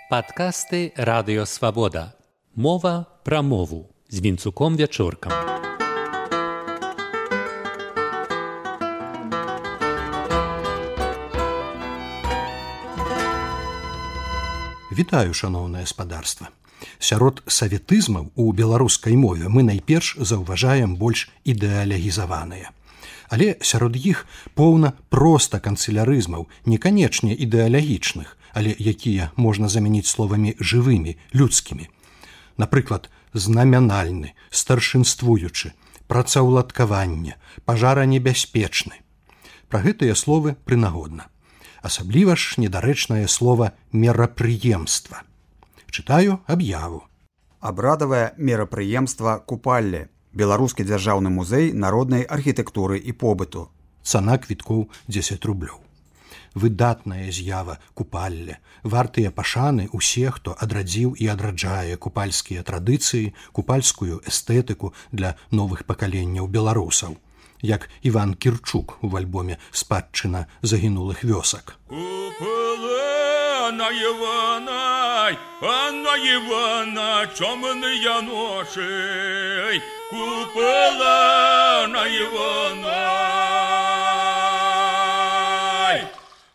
Падкасты Радыё Свабода. Мова пра мову з Вінцуком Вячоркам. Вітаю, шаноўнае спадарства. Сярод саветызмаў у беларускай мове мы найперш заўважаем больш ідэалегізаваныя. Але сярод іх поўна проста канцылярызмаў, не канечне ідэалагічных, але якія можна замяніць словамі жывымі, людскімі. Напрыклад, знамянальны, старшынствуючы, працаўладкаванне, пажаранебяспечны. Пра гэтыя словы прынагодна. Асабліва ж недарэчнае слова мерапрыемства. Чытаю аб'яву. Абрадавае мерапрыемства купалле. Беларускі дзяржаўны музей народнай архітэктуры і побыту. Цана квіткоў 10 рублёў. Выдатная з'ява купалле, вартыя пашаны усе, хто адрадзіў і адраджае купальскія традыцыі, купальскую эстэтыку для новых пакаленняў беларусаў. Як Іван Кірчук у альбоме «Спадчына загінулых вёсак». Анна Івана, Анна Івана, чомные ноши, купила Анна Івана,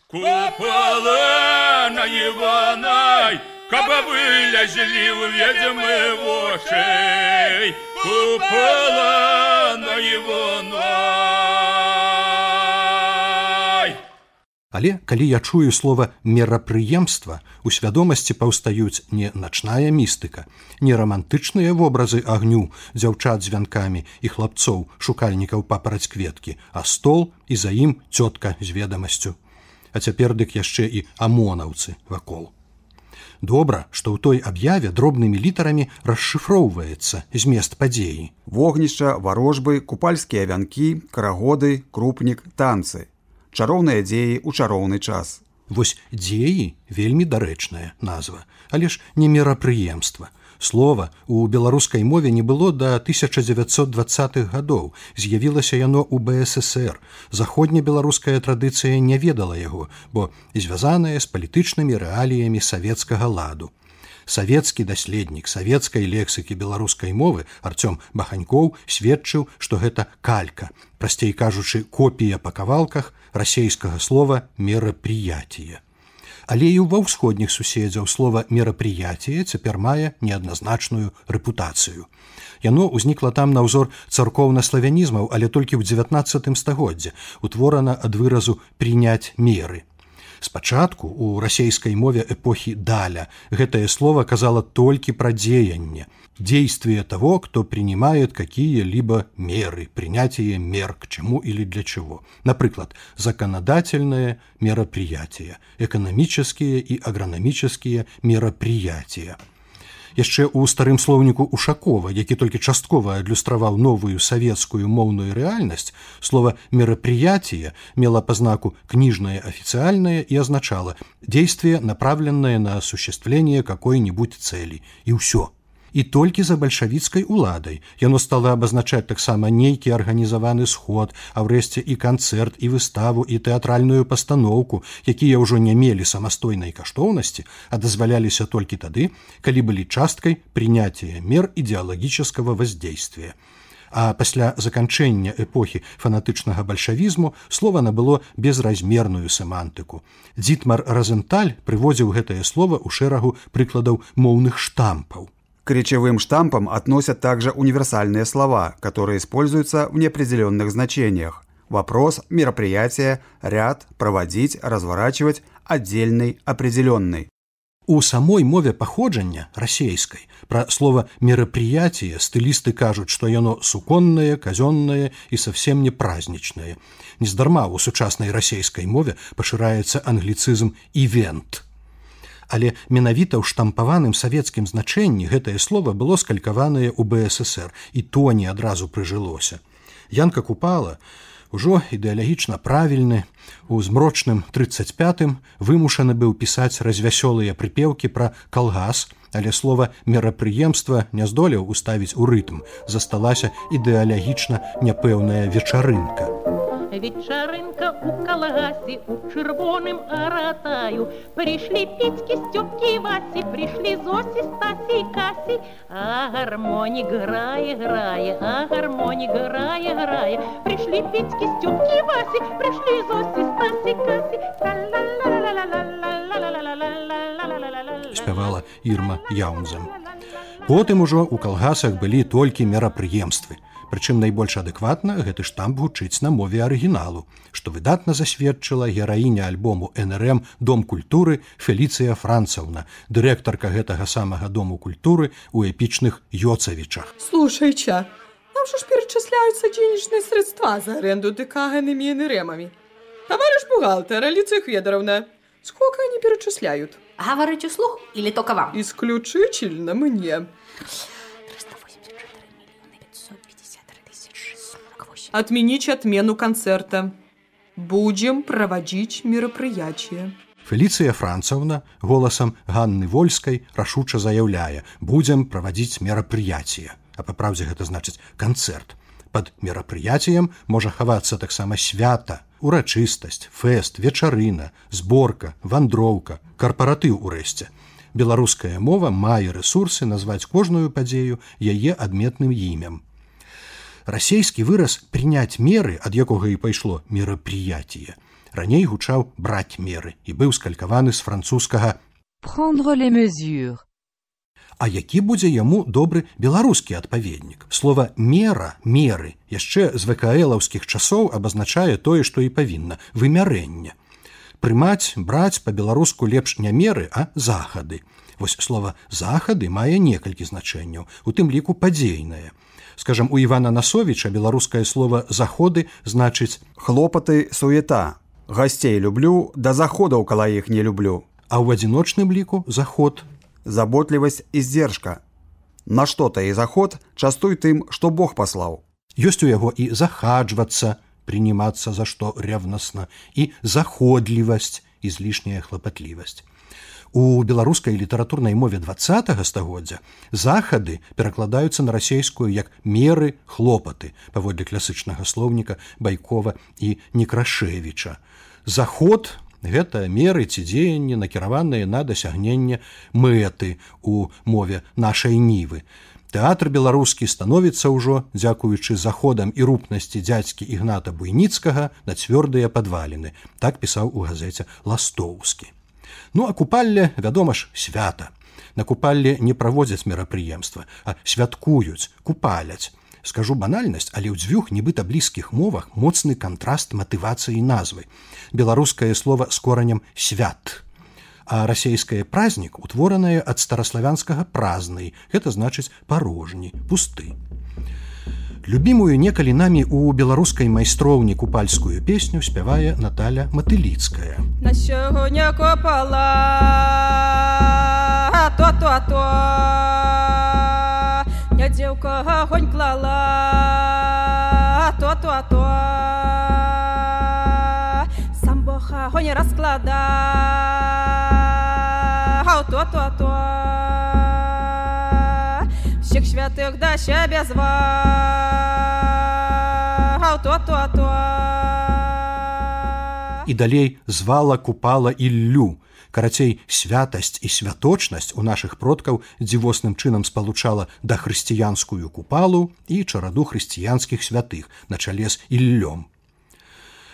купила Анна Івана, каба вылезли в ведьмы вошей, купила Анна Івана. Але калі я чую слова мерапрыемства, у свядомасці паўстаюць не начная містыка, не рамантычныя вобразы агню, дзяўчат з вянкамі і хлапцоў, шукальнікаў папараць кветкі, а стол і за ім цётка з ведамасцю. А цяпер дык яшчэ і амонаўцы вакол. Добра, што ў той аб'яве дробнымі літарамі расшыфроўваецца змест падзеі. Вогнішча, варожбы, купальскія вянкі, карагоды, крупнік, танцы. Чароўныя дзеі ў чароўны час. Вось дзеі вельмі дарэчная назва, але ж не мерапрыемства. Слова у беларускай мове не было да 1920-х гадоў. З'явілася яно ў БССР. Заходнебеларуская традыцыя не ведала яго, бо звязаная з палітычнымі рэаліямі савецкага ладу. Савецкі даследнік савецкай лексікі беларускай мовы Арцём Баханькоў сведчыў, што гэта калька, прасцей кажучы, копія па кавалках расейскага слова «мерапрыятие». Але і ва ўсходніх суседзяў слова «мерапрыятие» цяпер мае неадназначную рэпутацыю. Яно ўзнікла там на ўзор царкоўна-славянізмаў, але толькі ў 19 стагоддзі, утворана ад выразу «прыняць меры». Спачатку у расейскай мове эпохі Даля гэтае слово казала толькі пра дзеянне, действие того, кто принимает какие-либо меры, принятие мер к чему или для чего. Например, законодательные мероприятия, экономические и агрономические мероприятия. Яшчэ ў старым слоўніку Ушакова, які толькі часткова адлюстраваў новую савецкую моўную рэальнасць, слова «мероприятие» мела па знаку «книжное официальное» и означало «действие, направленное на осуществление какой-нибудь цели». И ўсё. І толькі за бальшавіцкай уладай яно стала абазначаць таксама нейкі арганізаваны сход, а ўрэшце і канцэрт, і выставу, і тэатральную пастаноўку, якія ўжо не мелі самастойнай каштоўнасці, а дазваляліся толькі тады, калі былі часткай прыняція мер ідэалагічнага воздействия. А пасля заканчэння эпохі фанатычнага бальшавізму слова набыло безразмерную семантыку. Дзітмар Разенталь прыводзіў гэтае слова ў шэрагу прыкладаў моўных штампаў. К речевым штампам относят также универсальные слова, которые используются в неопределенных значениях. Вопрос, мероприятие, ряд, проводить, разворачивать, отдельный, определенный. У самой мове паходжання, расейскай, пра слова «мерапрыятие» стылісты кажуць, што яно суконнае, казённае і совсем не празднічнае. Нездарма у сучаснай расейскай мове пашыраецца англіцызм «івент». Але менавіта ў штампаваным савецкім значэнні гэтае слова было скалькаванае ў БССР, і то не адразу прыжылося. Янка Купала, ужо ідэалагічна правільны, у змрочным 35-м вымушаны быў пісаць развясёлыя прыпеўкі пра калгас, але слова «мерапрыемства» не здолеў уставіць у рытм, засталася ідэалагічна няпэўная вечарынка. вечеринка у колгасе, у червоным аратаю. Пришли Петьки, Степки и Васи, пришли Зоси, Стаси и Каси. А гармоник грає, а гармоник грає. Пришли Петьки, Степки и Васи, пришли Зоси, Стаси и Каси. Спявала Ірма Яунзем. Потым ужо ў калгасах былі толькі мерапрыемствы. Прычым найбольш адэкватна гэты штамп гучыць на мове арыгіналу, што выдатна засведчыла гераіня альбому НРМ «Дом культуры» Феліцыя Францаўна, дырэктарка гэтага самага Дому культуры у эпічных Йоцавічах. Слушайте, нам же перечисляются денежные средства за аренду ДК ГНМ и НРМами. Товарищ бухгалтер, Алиция Федоровна, сколько они перечисляют? Говорите вслух или только вам? Исключительно мне. 384 553 648. Отменить отмену концерта. Будем проводить мероприятие. Феліцыя Францаўна голасам Ганны Вольскай рашуча заяўляе: «Будзем правадзіць мерапрыяцие». А па праўдзе гэта значыць канцэрт. Пад мерапрыяцыем можа хавацца таксама свята, урачыстасць, фэст, вечарына, зборка, вандроўка, карпаратыў урэшце. Беларуская мова мае рэсурсы назваць кожную падзею яе адметным імем. Расейскі выраз «прыняць меры», ад якога і пайшло мерапрыяцие, раней гучаў «браць меры» і быў скалькаваны з французскага «prendre les mesures». А які будзе яму добры беларускі адпаведнік? Слова «мера», «меры» яшчэ з ВКЛаўскіх часоў абазначае тое, што і павінна – вымярэнне. Прымаць, браць па-беларуску лепш не меры, а захады. Вось слова «захады» мае некалькі значэнняў, у тым ліку падзейнае. Скажам, у Івана Насовіча беларускае слова «заходы» значыць «хлопаты, суета». Гасцей люблю, да заходаў кала іх не люблю. А ў адзіночным ліку «заход». Заботливость и сдержка. На что-то и заход частуй тым, что Бог послал. Ёсць у яго і захаджвацца, прыниматься за што ревностно, і заходлівасць, излишняя хлапатлівасць. У беларускай літаратурнай мове 20-го стагоддзя захады перакладаюцца на расейскую як меры, хлопаты, паводле класычнага слоўніка Байкова і Некрашевіча. Заход – гэта меры ці дзеянні, накіраваныя на дасягненне мэты ў мове нашай нівы. Тэатр беларускі становіцца ўжо, дзякуючы заходам і рупнасці дзядзькі Ігната Буйніцкага, на цвёрдыя падваліны. Так пісаў у газеце Ластоўскі. Ну, а купалле, вядома ж, свята. На купалле не праводзяць мерапрыемства, а святкуюць, купаляць. Скажу банальнасць, але ў дзвюх нібыта блізкіх мовах моцны кантраст матывацыі назвы. Беларускае слова з коранем «свят», а расейскае празднік утворанае ад стараславянскага «празнай», гэта значыць «парожні», «пусты». Любімую некалі намі ў беларускай майстроўні купальскую песню спявае Наталя Матыліцкая. На сёння копала, то. Я дзеўка агонь клала, то. Сам Бог агонь раскладаў, то. Всіх святых да сябе зваў, то. І далей звала, купала Іллю. Карацей, святасць і святочнасць у нашых продкаў дзівосным чынам спалучала дахрысціянскую купалу і чараду хрысціянскіх святых на чале з Іллём.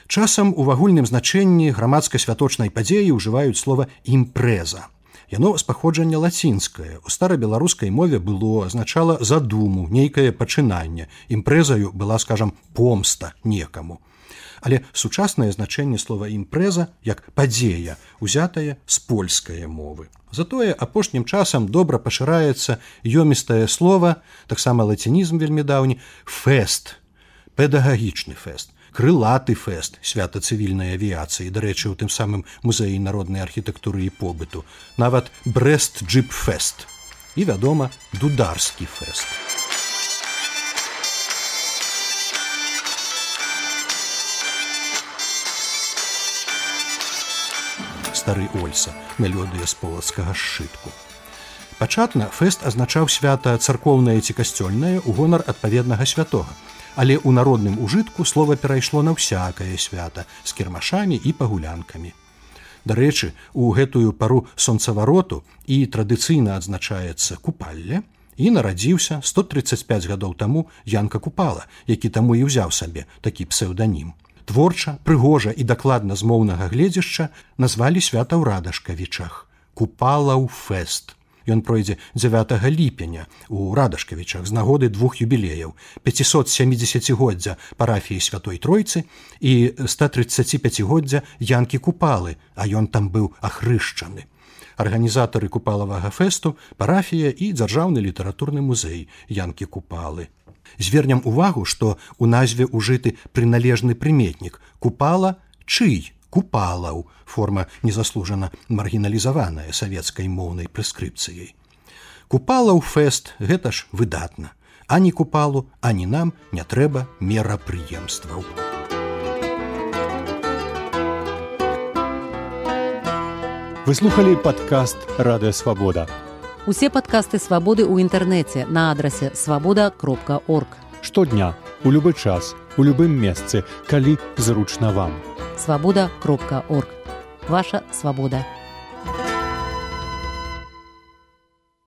Часам у агульным значэнні грамадска-святочнай падзеі ўжываюць слова «імпрэза». Яно з паходжання лацінскае. У старабеларускай мове было, азначала задуму, нейкае пачынанне. Імпрэзаю была, скажам, помста некаму. Але сучаснае значэнне слова «імпрэза» як «падзея» узятае з польскай мовы. Затое апошнім часам добра пашыраецца ёмістае слова, таксама лацінізм вельмі даўні, «фэст», педагагічны фэст, крылаты фэст, свята цывільнай авіяцыі, дарэчы, у тым самым музеі народнай архітэктуры і побыту, нават Брэст-джып-фэст і, вядома, дударскі фэст. Стары Ольса, мелодыя з полацкага сшытку. Пачатна фэст азначаў свята царкоўнае ці касцёльнае ў гонар адпаведнага святога. Але ў народным ужытку слова перайшло на ўсякае свята з кірмашамі і пагулянкамі. Дарэчы, у гэтую пару сонцавароту і традыцыйна адзначаецца купалле, і нарадзіўся 135 гадоў таму Янка Купала, які таму і ўзяў сабе такі псеўданім. Творча, прыгожа і дакладна з моўнага гледзяшча назвалі свята ў Радашкавічах – Купалаў фэст. Ён пройдзе 9 ліпеня у Радашкавічах з нагоды 2 юбілеяў – 570-годдзя парафіі Святой Тройцы і 135-годдзя Янкі Купалы, а ён там быў ахрышчаны. Арганізатары купалавага фэсту – парафія і дзяржаўны літаратурны музей Янкі Купалы. Звернем увагу, што ў назве ўжыты прыналежны прыметнік «Купала» – чый? Купалаў, форма незаслужана маргіналізаваная савецкай моўнай прэскрыпцыяй. Купалаў фэст – гэта ж выдатна. Ані Купалу, ані нам не трэба мерапрыемстваў. Вы слухали падкаст «Радыё Свабода». Усе падкасты «Свабоды» ў інтэрнэце на адрасе свабода.орг. Штодня, у любы час, у любым месцы, калі зручна вам. Свабода.орг. Ваша свабода.